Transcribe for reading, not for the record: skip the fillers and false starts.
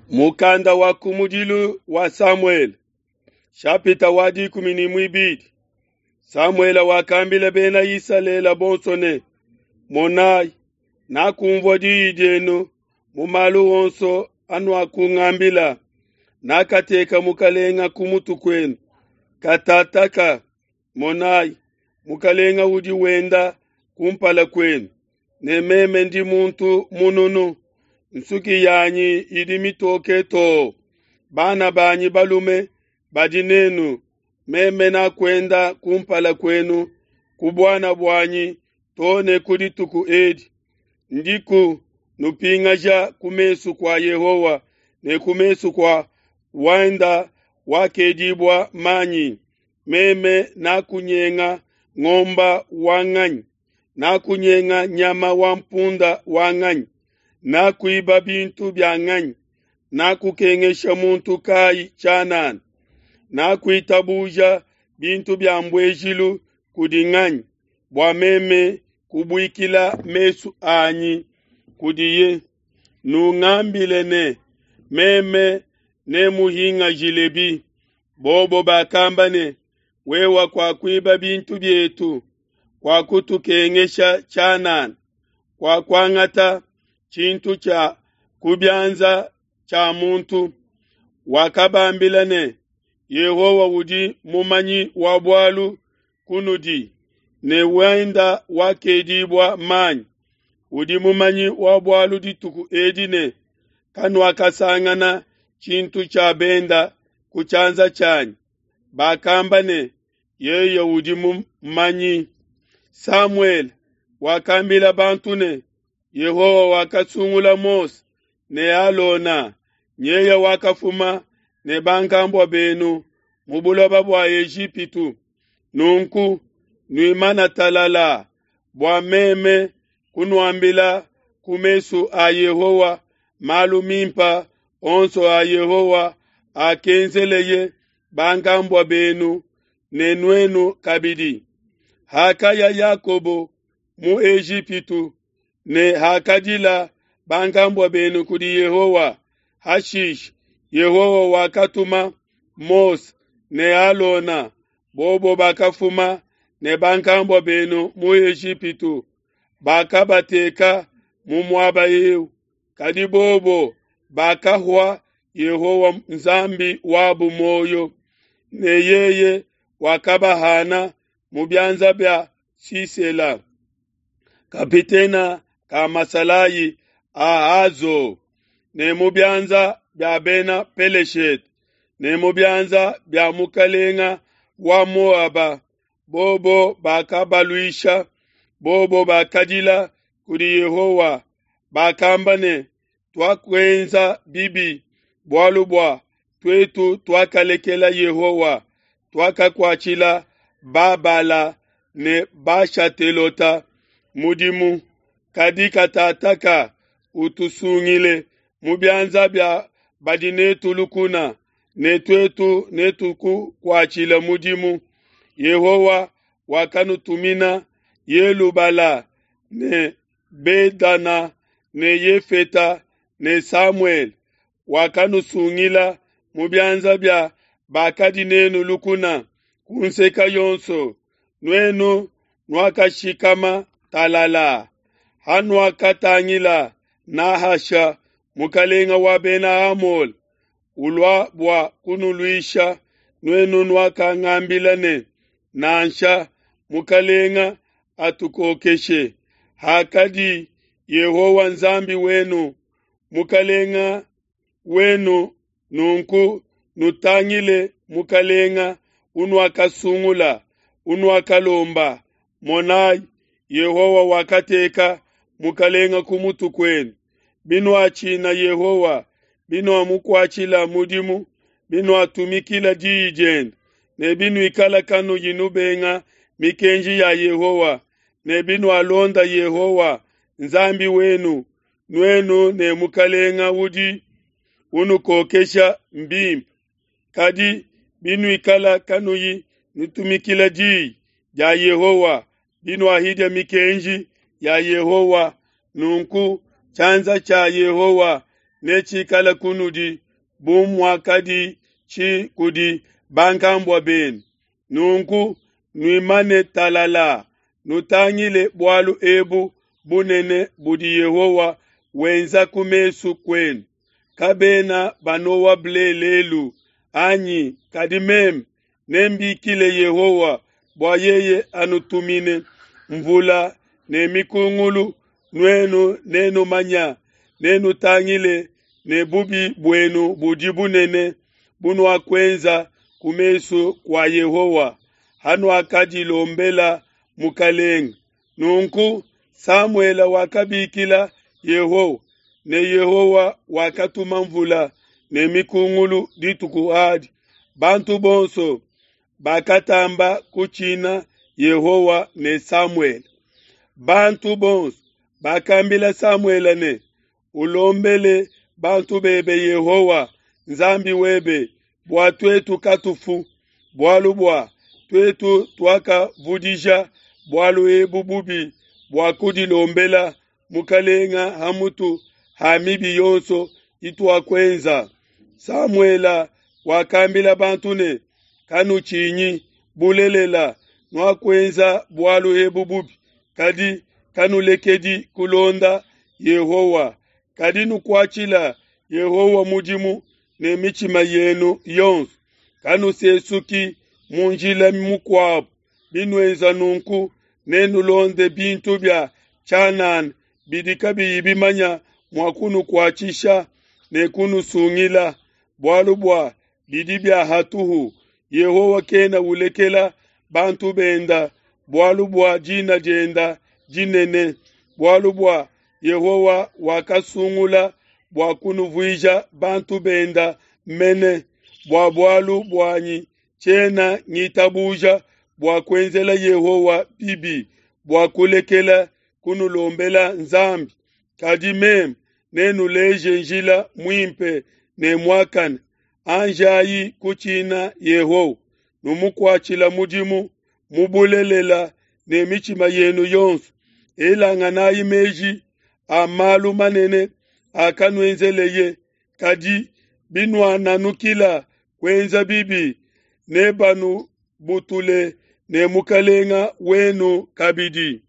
Mukanda wa kumudilu wa Samuele, shapita wa 12. Samuele wakambila bena Isalele bonso ne, Monayi, nakumvua diyi dienu mu malu onso anuakungambila, nakateka mukalenga ku mutu kuenu. Katataka, monayi, mukalenga udi wenda kumpala kuenu, ne meme ndi muntu mununu, nsuki yanyi idi mitoke too. Bana banyi balume badi nenu, meme nakuenda kumpala kuenu ku buana buanyi too ne ku dituku edi. Ndiku nupingaja ku mesu kua Yehowa ne ku mesu kua wenda wakedibua manyi. Meme nakunyenga ngomba wa nganyi, nakunyenga nyama wa mpunda wa nganyi, nakuiba bintu bia nganyi, nakukengesha muntu kayi tshianana, nakuitabuja bintu bia mbuejilu kudi nganyi, bua meme kubuikila mesu anyi kudiye. Nungambile ne, meme nemuhingajilebi. Bobo bakamba ne, wewa kuakuiba bintu bietu, kuakutukengesha tshianana, kuakuangata tshintu tshia ku bianza tshia muntu. Wakabambila ne, Yehowa udi mumanyi wa bualu kunudi, ne wenda wakedibua manyi udi mumanyi wa bualu dituku edi ne, kanuakasangana tshintu tshia benda ku tshianza tshianyi. Bakamba ne, yeye udi mumanyi. Samuele wakambila bantu ne, Yehowa wakasungula Mose ne Alona, nyeye wakafuma ne bankambua benu mu buloba bua Ejipitu. Nunku nuimana talala, bua meme kunuambila ku mesu a Yehowa malu mimpa onso a Yehowa akenzeleye bankambua benu ne nuenu kabidi. Hakaya Yakobo mu Ejipitu ne hakadila bankambua benu kudi Yehowa, hashishe Yehowa wakatuma Mose ne Alona, bobo bakafuma ne bankambua benu mu Ejipitu, bakabateka mu muaba eu. Kadi bobo bakahua Yehowa Nzambi wabu muoyo, ne yeye wakabahana mu bianza bia Sisela, kapitena ka masalayi a Hazo, ne mu bianza bia bena Peleshete, ne mu bianza bia mukalenga wa Moaba. Bobo bakabaluisha, bobo bakadila kudi Yehowa, bakamba ne, tuakuenza bibi, bualu bua tuetu tuakalekela Yehowa, tuakakuatshila Babala ne Bashatelota mudimu. Kadi katataka utusungile mu bianza bia badi netu lukuna, ne tuetu netukukuatshile mudimu. Yehowa wakanutumina Yelubala ne Bedana ne Yefeta ne Samuele, wakanusungila mu bianza bia bakadi nenu lukuna ku nseka yonso. Nuenu nuakashikama talala hanuakatangila Nahasha mukalenga wa bena Amole ulua bua kunuluisha. Nuenu nuakangambila ne, nansha mukalenga atukokeshe. Hakadi Yehowa Nzambi wenu mukalenga wenu, nunku nutangile mukalenga unuakasungula, unuakalomba. Monayi, Yehowa wakateka mukalenga ku mutu kuenu. Binuatshina Yehowa, binuamukuatshila mudimu, binuatumikila diyi diende, ne binuikala kanuyi nubenga mikenji ya Yehowa, ne binualonda Yehowa Nzambi wenu, nuenu ne mukalenga udi unukokesha mbimpe. Kadi binuikala kanuyi nutumikila diyi dia Yehowa, binuahidia mikenji ya Yehowa, nunku tshianza tshia Yehowa netshikale kunudi bu muakaditshi kudi bankambua benu. Nunku nuimane talalaa, nutangile bualu ebu bunene budi Yehowa wenza ku mesu kuenu. Kabena banowa ble lelu anyi? Kadi meme nembikile Yehowa bua yeye anutumine mvula ne mikungulu, nuenu nenumanya, nenutangile ne bubi buenu budi bunene bunuakuenza ku mesu kua Yehowa, hanuakadilombela mukelenge. Nunku Samuele wakabikila Yehowa, ne Yehowa wakatuma mvula ne mikungulu dituku adi. Bantu bonso bakatamba kutshina Yehowa ne Samuele. Bantu bonso bakambila Samuele ne, Ulombele bantu bebe Yehowa, Nzambi webe, bua tuetu katufu, bualu bua tuetu tuakavudija bualu ebu bubi bua kudilombela mukelenge ha mutu ha mibi yonso ituakuenza. Samuele wakambila bantu ne, Kanutshinyi, bulelela, nuakuenza bualu ebu bubi, kadi kanulekedi kulonda Yehowa, kadi nukuatshila Yehowa mudimu ne mitshima yenu yonso. Kanusesuki mu njila mukuabo, binuenza nunku nenulonde bintu bia tshianana bidi kabiyi bimanya mua kunukuatshisha ne kunusungila, bualu bua bidi bia hatuhu. Yehowa kena ulekela bantu benda bualu bua dina dienda dinene, bualu bua Yehowa wakasungula bua kunuvuija bantu benda mene. Bua bualu buanyi tshiena ngitabuja bua kuenzela Yehowa bibi, bua kulekela kunulombela Nzambi. Kadi meme nenuleje njila muimpe ne muakane. Anjayi kutshina Yehowa, numukuatshila mudimu mu bulelela ne mitshima yenu yonso. Elanganayi meji a malu manene akanuenzeleye. Kadi binuananukila kuenza bibi, nebanubutule ne mukelenge wenu kabidi.